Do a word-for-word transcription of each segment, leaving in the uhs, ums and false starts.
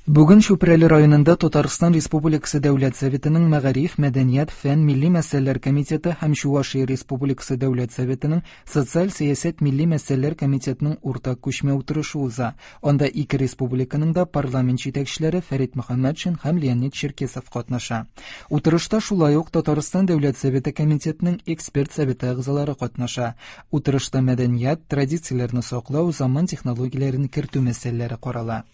Бүген Чүпрәле районында Татарстан Республикасы Дәүләт Советының Мәгариф, мәдәният, фән, милли мәсьәләләр комитеты һәм Чувашия Республикасы Дәүләт Советының Социаль сәясәт милли мәсьәләләр комитетының уртак күчмә утырышы уза. Анда ике республиканың да парламент җитәкчеләре Фәрит Мөхәммәтшин һәм Леонид Черкесов катнаша. Утырышта шулай ук Татарстан Дәүләт Советы комитетының эксперт советы әгъзалары катнаша. Утырышта мәдәният, традицияләрне саклау, заман технологияләрен кертү мәсьәләләре карала.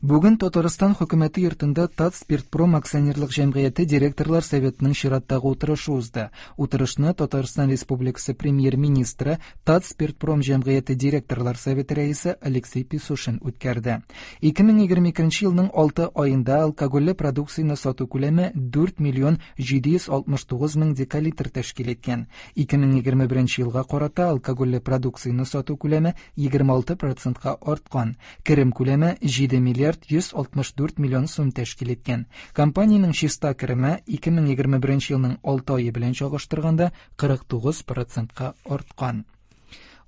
Бүген Татарстан хөкүмәте йортында Татспиртпром акционерлык җәмгыяте директорлар советының чираттагы утырышы узды. Утырышны Татарстан Республикасы премьер-министры, Татспиртпром җәмгыяте директорлар советы рәисе Алексей Песошин үткәрде. ике мең егерме икенче елның алты аенда алкогольле продукцияне сату күләме дүрт миллион җиде йөз алтмыш тугыз мең декалитр тәшкил иткән. ике мең егерме беренче елга карата алкогольле продукцияне сату күләме егерме алты процентка арткан. Керем күләме җиде миллиард йөз алтмыш дүрт миллион сум тәшкил иткән. Компаниянең чиста кереме ике мең егерме беренче елның алты ае белән чагыштырганда кырык тугыз процентка арткан.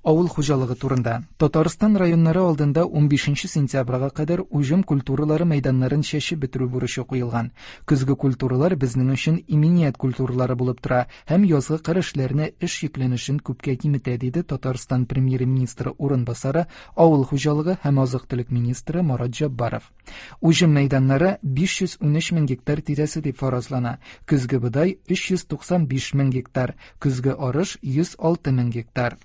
Авыл хуҗалыгы турында. Татарстан районнары алдында унбишенче сентябрьгә кадәр уҗым культуралары мәйданнарын чәчеп бетерү бурычы куелган. Көзге культуралар безнең өчен иминият культуралары булып тора һәм язгы кыр эшләренә эш йөкләнешен күпкә киметә, диде Татарстан премьер-министры урынбасары, авыл хуҗалыгы һәм азык-төлек министры Марат Җаббаров. Уҗым мәйданнары биш йөз унөч мең гектар тирәсе дип фаразлана. Көзге бодай өч йөз туксан биш мең гектар, көзге арыш йөз алты мең гектар.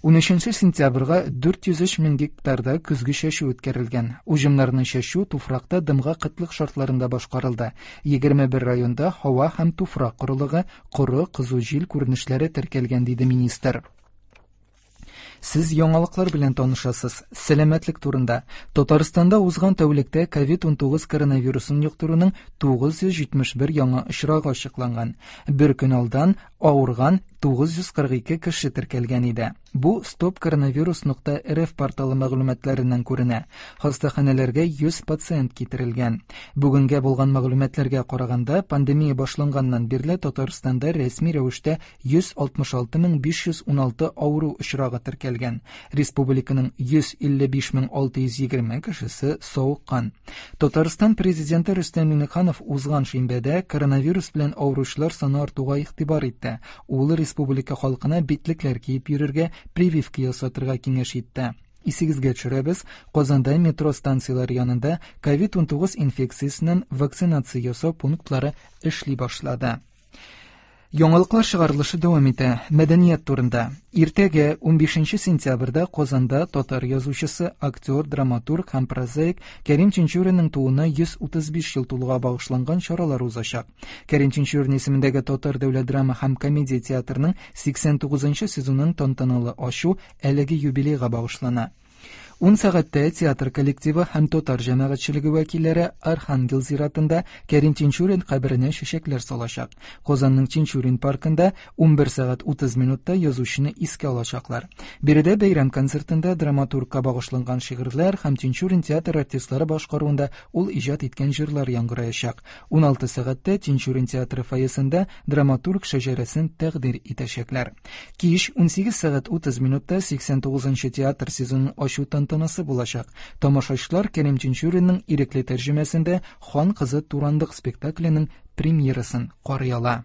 Унөченче сентябрьгә дүрт йөз өч мең гектарда көзге чәчү үткәрелгән. Уҗымнарны чәчү туфракта дымга кытлык шартларында башкарылды. Егерме бер районда һава һәм туфрак корылыгы, коры, кызу җил күренешләре теркәлгән, диде министр. Сез яңалыклар белән танышасыз. Сәламәтлек турында. Татарстанда узган тәүлектә ковид унтугыз коронавирусын йоктыруның тугыз йөз җитмеш бер яңа очрагы ачыкланган. Бер көн алдан авырган тугыз йөз кырык ике кеше теркәлгән иде. Бу стоп коронавирус нокта рф порталы мәгълүматларыннан күренә. Хастаханәләргә йөз пациент китерелгән. Бүгенгә булган мәгълүматларга караганда, пандемия башланганнан бирле Татарстанда рәсми рәвештә йөз алтмыш алты мең биш йөз уналты авыру очрагы теркәлгән. Республиканың йөз илле биш мең алты йөз егерме кешесе савыккан. Татарстан президенты Рөстәм Миңнеханов узган шимбәдә коронавирус белән авыручылар саны артуга игътибар итте. Ул республика халкына битлекләр киеп йөрергә, прививка ясатырга киңәш итте. Исегезгә төшерәбез, Казанда метро станцияләре янында ковид унтугыз инфекциясеннән вакцинация ясау пунктлары эшли башлады. Яңалыклар чыгарылышы дәвам итә. Мәдәният турында. Иртәгә унбишенче сентябрьдә Казанда татар язучысы, актер, драматург һәм прозаик Кәрим Тинчуринның тууына йөз утыз биш ел тулуга багышланган чаралар узачак. Кәрим Тинчурин исемендәге Татар дәүләт драма һәм комедия театрының сиксән тугызынчы сезонын тантаналы ачу әлеге юбилейга багышлана. Ун сәгатьтә театр коллективы һәм татар җәмәгатьчелеге вәкилләре Архангел зиратында Кәрим Тинчурин каберенә чәчәкләр салачак. Казанның Тинчурин паркында унбер сәгать утыз минутта язучыны искә алачаклар. Биредә бәйрәм концертында драматургка багышланган шигырьләр һәм Тинчурин театр артистлары башкаруында ул иҗат иткән җырлар яңгыраячак. Уналты сәгатьтә Тинчурин театры фойесында драматург шәҗәрәсен тәкъдир итәчәкләр. Кич унсигез сәгать утыз минутта сиксән тугызынчы театр сезонын ачу тантанасы булачак. Тамашачылар Кәрим Тинчуринның ирекле тәрҗемәсендә Хан кызы Турандык спектакленең премьерасын карый ала.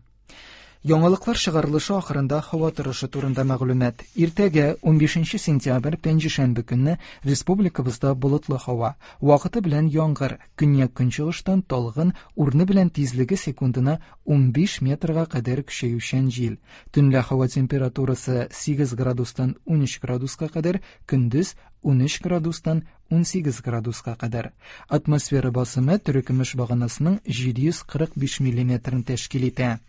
Яңалыклар чыгарылышы ахырында һава торышы турында мәгълүмат. Иртәгә унбишенче сентябрь пәнҗешәмбе көнне республикабызда болытлы һава, вакыты белән яңгыр, көньяк көнчыгыштан талгын, урыны белән тизлеге секундына унбиш метрга кадәр көчәючән җил. Төнлә һава температурасы сигез градустан унөч градуска кадәр, көндез унөч градустан унсигез градуска кадәр. Атмосфера басымы терекөмеш баганасының җиде йөз кырык биш миллиметрын тәшкил итә.